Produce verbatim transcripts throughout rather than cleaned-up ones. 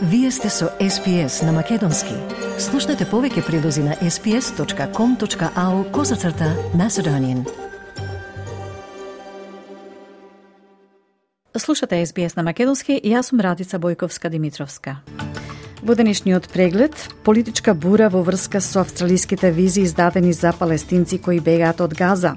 Вие сте со Ес Би Ес на Македонски. Слушнете повеќе прилози на ес би ес точка ком точка ау козацрта Macedonian. Слушате Ес Би Ес на Македонски и јас сум Радица Бојковска-Димитровска. Во денешниот преглед, политичка бура во врска со австралиските визи издадени за палестинци кои бегаат од Газа.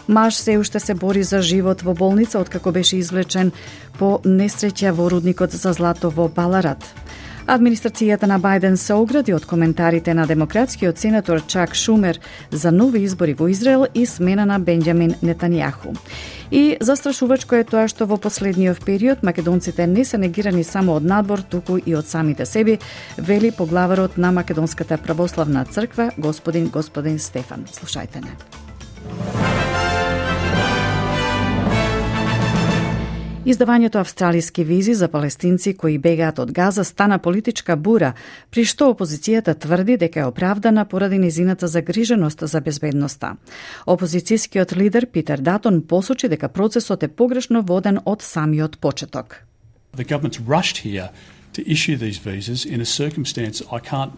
Маж се уште се бори за живот во болница откако беше извлечен по несреќа во рудникот за злато во Баларат. Администрацијата на Бајден се огради од коментарите на демократскиот сенатор Чак Шумер за нови избори во Израел и смена на Бенџамин Нетањаху. И застрашувачко е тоа што во последниот период македонците не се негирани само од надвор, туку и од самите себе, вели поглаварот на Македонската православна црква, господин господин Стефан. Слушајте не. Издавањето австралиски визи за палестинци кои бегаат од Газа стана политичка бура, при што опозицијата тврди дека е оправдана поради низината загриженост за безбедноста. Опозицијскиот лидер Питер Датон посочи дека процесот е погрешно воден од самиот почеток. The government's rushed here to issue these visas in a circumstance I can't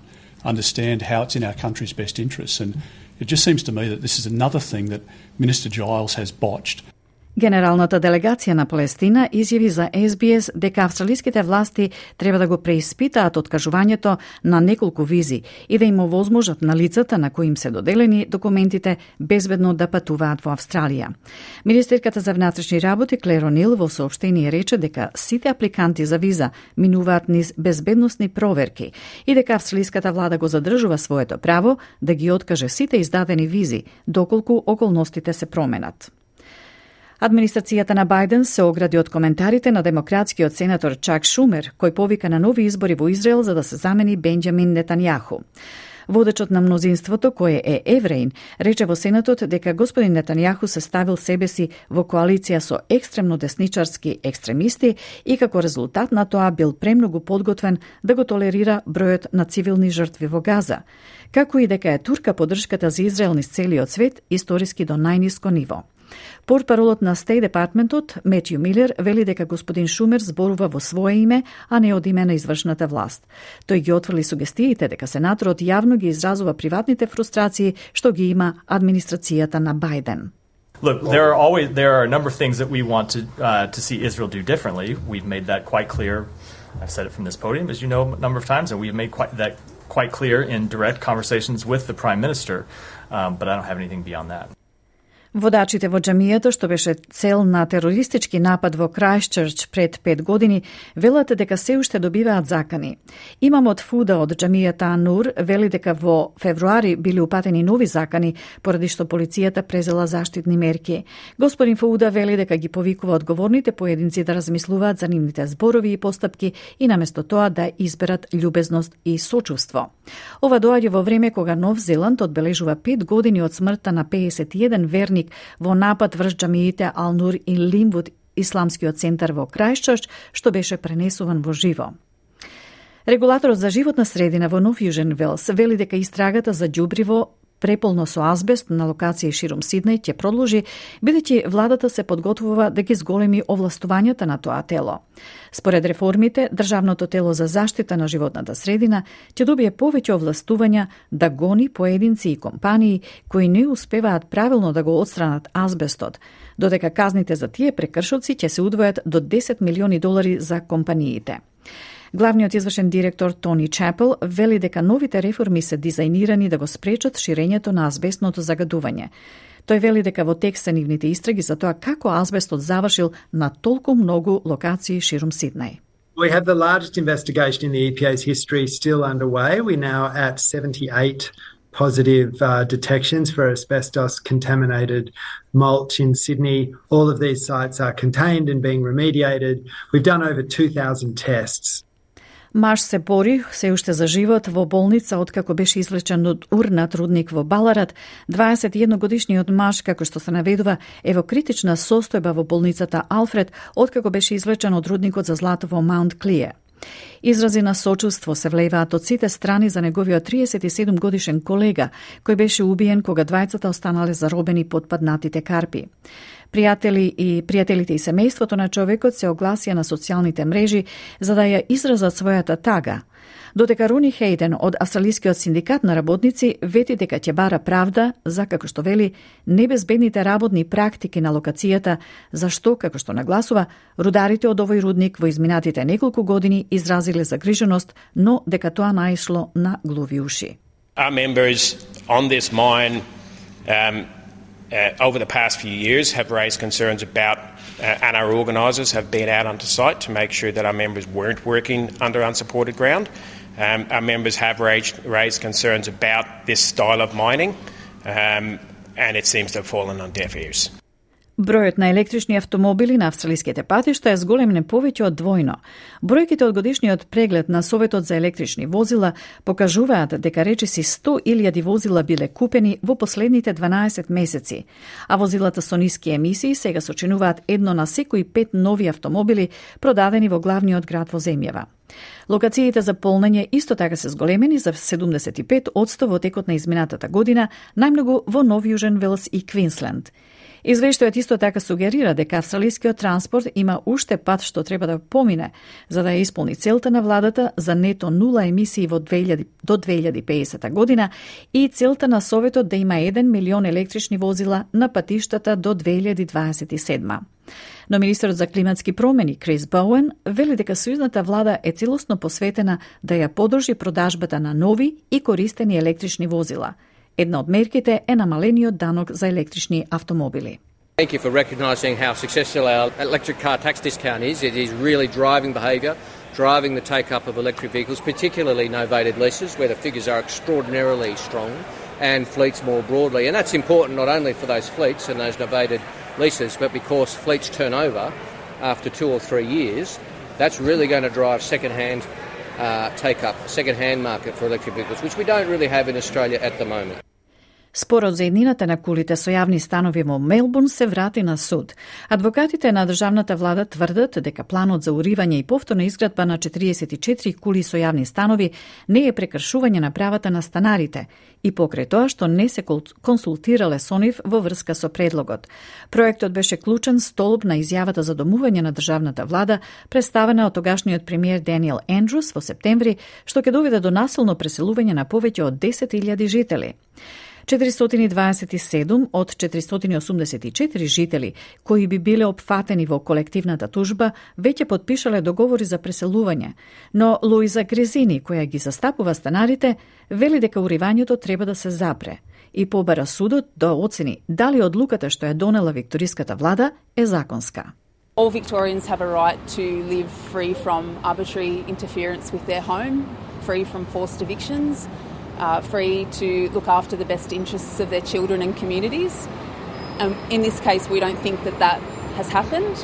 understand how it's in our country's best interests, and it just seems to me that this is another thing that Minister Giles has botched. Генералната делегација на Палестина изјави за Ес Би Ес дека австралиските власти треба да го преиспитаат откажувањето на неколку визи и да им овозможат на лицата на кои им се доделени документите безбедно да патуваат во Австралија. Министерката за внатрешни работи Клер О'Нил во соопштение рече дека сите апликанти за виза минуваат низ безбедносни проверки и дека австралиската влада го задржува своето право да ги откаже сите издадени визи доколку околностите се променат. Администрацијата на Бајден се огради од коментарите на демократскиот сенатор Чак Шумер, кој повика на нови избори во Израел за да се замени Бенџамин Нетањаху. Водечот на мнозинството, кој е евреин, рече во Сенатот дека господин Нетањаху се ставил себе си во коалиција со екстремно десничарски екстремисти и како резултат на тоа бил премногу подготвен да го толерира бројот на цивилни жртви во Газа, како и дека е турка поддршката за Израел низ целиот свет историски до најниско ниво. Портпаролот на Стејт департментот Метју Милер вели дека господин Шумер зборува во свое име, а не од име на извршната власт. Тој ги отфрли сугестиите дека сенаторот јавно ги изразува приватните фрустрации што ги има администрацијата на Бајден. Look, there are always there are a number of things that we want to uh, to see Israel do differently. We've made that quite clear. I've said it from this podium, as you know, a number of times, and we've made quite that quite clear in direct conversations with the Prime Minister. Um, but I don't have anything beyond that. Водачите во џамијата, што беше цел на терористички напад во Крајстчерч пред пет години, велат дека се уште добиваат закани. Имамот Фуда од џамијата Анур вели дека во февруари били упатени нови закани, поради што полицијата презела заштитни мерки. Господин Фуда вели дека ги повикува одговорните поединци да размислуваат за нивните зборови и постапки и наместо тоа да изберат љубезност и сочувство. Ова доаѓа во време кога Нов Зеланд одбележува пет години од смртта на педесет и еден верник во напад врз џамиите Ал-Нур и Линвуд, исламскиот центар во Крајстчерч, што беше пренесуван во живо. Регулаторот за животна средина во Нов Јужен Велс вели дека истрагата за ѓубриво преполно со азбест на локации ширум Сиднеј ќе продолжи, бидејќи владата се подготвува да ги зголеми овластувањата на тоа тело. Според реформите, Државното тело за заштита на животната средина ќе добие повеќе овластувања да гони поединци и компании кои не успеваат правилно да го отстранат азбестот, додека казните за тие прекршоци ќе се удвојат до десет милиони долари за компаниите. Главниот извршен директор Тони Чапел вели дека новите реформи се дизајнирани да го спречат ширењето на азбестното загадување. Тој вели дека во тек се нивните истраги за тоа како азбестот завршил на толку многу локации ширум Сиднеј. We have the largest investigation in the E P A's history still underway. We're now at seventy-eight positive uh, detections for asbestos contaminated mulch in Sydney. All of these sites are contained and being remediated. We've done over two thousand tests. Маж се бори се уште за живот во болница откако беше извлечен од урнат рудник во Баларат. дваесет и едногодишниот маж, како што се наведува, е во критична состојба во болницата Алфред откако беше извлечен од рудникот за злато во Маунт Клиер. Изрази на сочувство се влејаат од сите страни за неговиот триесет и седум годишен колега, кој беше убиен кога двајцата останале заробени под паднатите карпи. Пријатели и пријателите и семејството на човекот се огласија на социјалните мрежи за да ја изразат својата тага. Додека Рони Хейден од Австралискиот синдикат на работници вети дека ќе бара правда за, како што вели, небезбедните работни практики на локацијата, зашто, како што нагласува, рударите од овој рудник во изминатите неколку години изразиле загриженост, но дека тоа наишло на глуви уши. Our members on this mine um, uh, over the past few years have raised concerns about uh, and our organisers have been out onto site to make sure that our members weren't working under unsupported ground. Um, our members have raised, raised concerns about this style of mining um, and it seems to have fallen on deaf ears. Бројот на електрични автомобили на австралиските патишта е зголемен повеќе од двојно. Бројките од годишниот преглед на Советот за електрични возила покажуваат дека речиси сто илјади возила биле купени во последните дванаесет месеци, а возилата со ниски емисии сега сочинуваат едно на секои пет нови автомобили продадени во главниот град во земјава. Локациите за полнење исто така се зголемени за седумдесет и пет одсто во текот на изминатата година, најмногу во Нов Јужен Велс и Квинсленд. Извештајот исто така сугерира дека австралискиот транспорт има уште пат што треба да помине за да ја исполни целта на владата за нето нула емисии во две илјади, до две илјади и педесета година и целта на Советот да има еден милион електрични возила на патиштата до две илјади дваесет и седма. Но министерот за климатски промени Крис Боуен вели дека сојузната влада е целосно посветена да ја подржи продажбата на нови и користени електрични возила. Една од мерките е намалениот данок за електрични автомобили. Thank you for recognising how successful our electric car tax discount is. It is really driving behaviour, driving the take-up of electric vehicles, particularly novated leases, where the figures are extraordinarily strong, and fleets more broadly. And that's important not only for those fleets and those novated leases, but because fleets turn over after two or three years, that's really going to drive second-hand uh, take-up, second-hand market for electric vehicles, which we don't really have in Australia at the moment. Спорот за еднината на кулите со јавни станови во Мелбурн се врати на суд. Адвокатите на државната влада тврдат дека планот за уривање и повторна изградба на четириесет и четири кули со јавни станови не е прекршување на правата на станарите и покрај тоа што не се консултирале со нив во врска со предлогот. Проектот беше клучен столб на изјавата за домување на државната влада, представена од тогашниот премиер Даниел Ендрус во септември, што ќе доведе до насилно преселување на повеќе од десет илјади жители. четиристотини и дваесет и седум од четиристотини и осумдесет и четири жители кои би биле опфатени во колективната тужба веќе потпишале договори за преселување, но Луиза Грезини, која ги застапува станарите, вели дека уривањето треба да се запре и побара судот да оцени дали одлуката што ја донела викториската влада е законска. All Victorians have a right to live free from arbitrary interference with their home, free from forced evictions, Uh, free to look after the best interests of their children and communities. Um, in this case, we don't think that that has happened,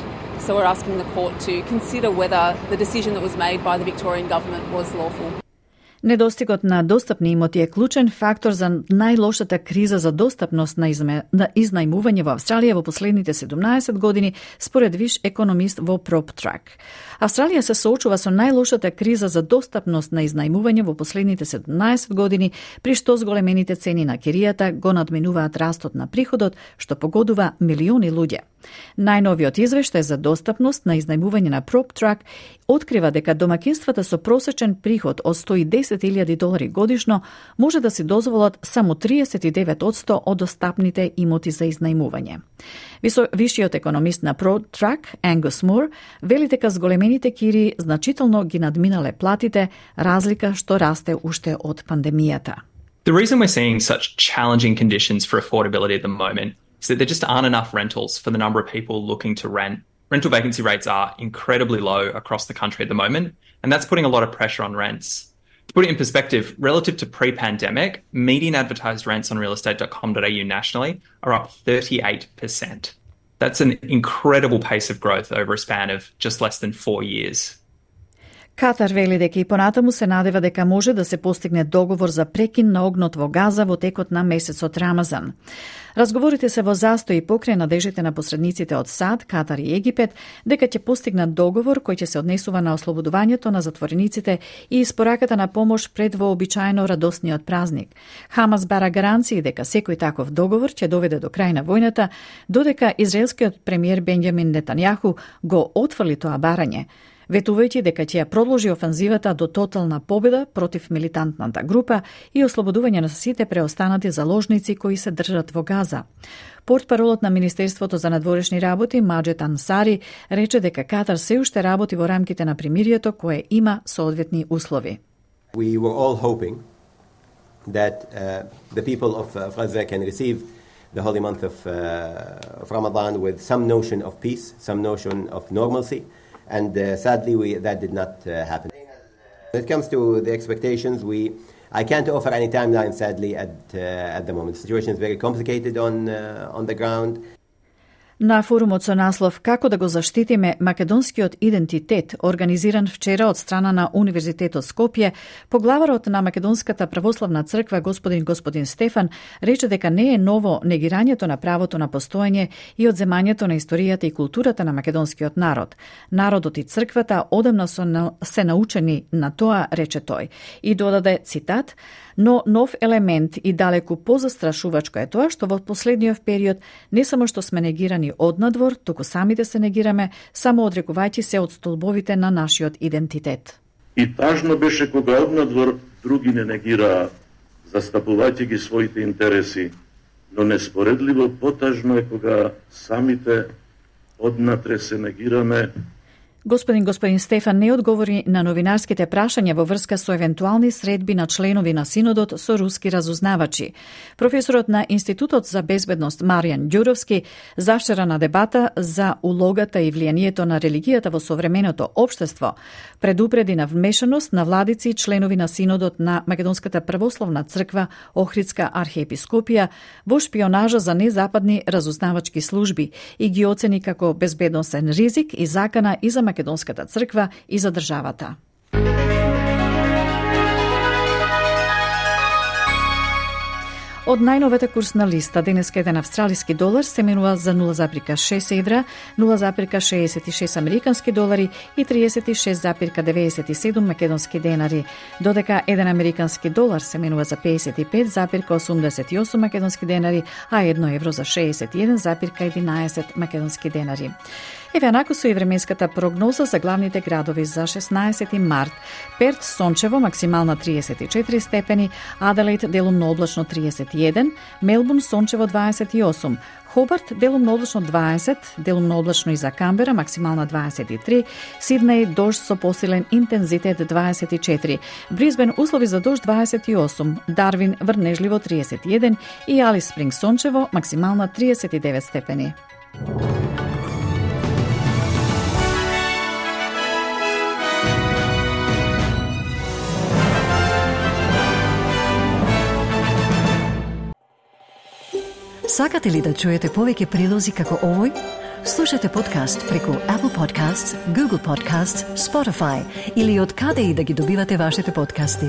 so we're asking the court to consider whether the decision that was made by the Victorian government was lawful. Недостигот на достапни имоти е клучен фактор за најлошата криза за достапност на, изме, на изнајмување во Австралија во последните седумнаесет години, според виш економист во PropTrack. Австралија се соочува со најлошата криза за достапност на изнајмување во последните седумнаесет години, при што зголемените цени на киријата го надминуваат растот на приходот, што погодува милиони луѓе. Најновиот извештај за достапност на изнајмување на PropTrack открива дека домакинствата со просечен приход од сто и десет илјади долари годишно може да си дозволат само триесет и девет одсто од достапните имоти за изнајмување. Вишиот економист на PropTrack, Ангус Мур, вели дека зголемените кири значително ги надминале платите, разлика што расте уште од пандемијата. The reason we're seeing such challenging conditions for affordability at the moment is that there just aren't enough rentals for the number of people looking to rent. Rental vacancy rates are incredibly low across the country at the moment, and that's putting a lot of pressure on rents. To put it in perspective, relative to pre-pandemic, median advertised rents on real estate dot com dot a u nationally are up thirty-eight percent. That's an incredible pace of growth over a span of just less than four years. Катар вели дека и понатаму се надева дека може да се постигне договор за прекин на огнот во Газа во текот на месецот Рамазан. Разговорите се во застој покрај надежите на посредниците од САД, Катар и Египет дека ќе постигнат договор кој ќе се однесува на ослободувањето на затворениците и испораката на помош пред вообичаено радосниот празник. Хамас бара гаранции дека секој таков договор ќе доведе до крај на војната, додека израелскиот премиер Бенјамин Нетањаху го отфрли тоа барање, ветувајќи дека ќе ја продолжи офанзивата до тотална победа против милитантната група и ослободување на сите преостанати заложници кои се држат во Газа. Портпаролот на Министерството за надворешни работи Маџед Ансари рече дека Катар се уште работи во рамките на примирието кое има соодветни услови. We were all hoping that uh, the people of, uh, of Gaza can receive the holy month of, uh, of Ramadan with some notion of peace, some notion of normalcy. And uh, sadly, we, that did not uh, happen. When it comes to the expectations, we I can't offer any timeline, sadly, at uh, at the moment. The situation is very complicated on uh, on the ground. На форумот со наслов «Како да го заштитиме македонскиот идентитет», организиран вчера од страна на Универзитетот Скопје, поглаварот на Македонската православна црква господин господин Стефан рече дека не е ново негирањето на правото на постоење и одземањето на историјата и културата на македонскиот народ. Народот и црквата одамна се научени на тоа, рече тој, и додаде цитат: но нов елемент и далеку позастрашувачко е тоа што во последниот период не само што сме негирани однадвор, туку самите се негираме, само одрекувајќи се од столбовите на нашиот идентитет. И тажно беше кога однадвор други не негираа, застапувајќи ги своите интереси, но неспоредливо потажно е кога самите однатре се негираме. Господин господин Стефан не одговори на новинарските прашања во врска со евентуални средби на членови на Синодот со руски разузнавачи. Професорот на Институтот за безбедност Маријан Ѓуровски завчера на дебата за улогата и влијанието на религијата во современото општество предупреди на вмешаност на владици и членови на Синодот на Македонската православна црква Охридска архиепископија во шпионажа за незападни разузнавачки служби и ги оцени како безбедносен ризик и закана и за Македонската црква и за државата. Од најновата курсна листа, денеска еден австралиски долар се менува за нула зарез шест евра, нула зарез шеесет и шест американски долари и триесет и шест зарез деветдесет и седум македонски денари, додека еден американски долар се менува за педесет и пет зарез осумдесет и осум македонски денари, а едно евро за шеесет и еден зарез единаесет македонски денари. Еве анако со и временската прогноза за главните градови за шеснаесети март. Перт сончево, максимална триесет и четири степени, Аделаид делумно облачно триесет и еден, Мелбурн сончево дваесет и осум, Хобарт делумно облачно дваесет, делумно облачно и за Камбера, максимална дваесет и три, Сиднеј дожд со посилен интензитет дваесет и четири, Брисбен услови за дожд дваесет и осум, Дарвин врнежливо триесет и еден и Алис Спринг сончево, максимална триесет и девет степени. Сакате ли да чуете повеќе прилози како овој? Слушате подкаст преку Apple Podcasts, Google Podcasts, Spotify или од каде и да ги добивате вашите подкасти.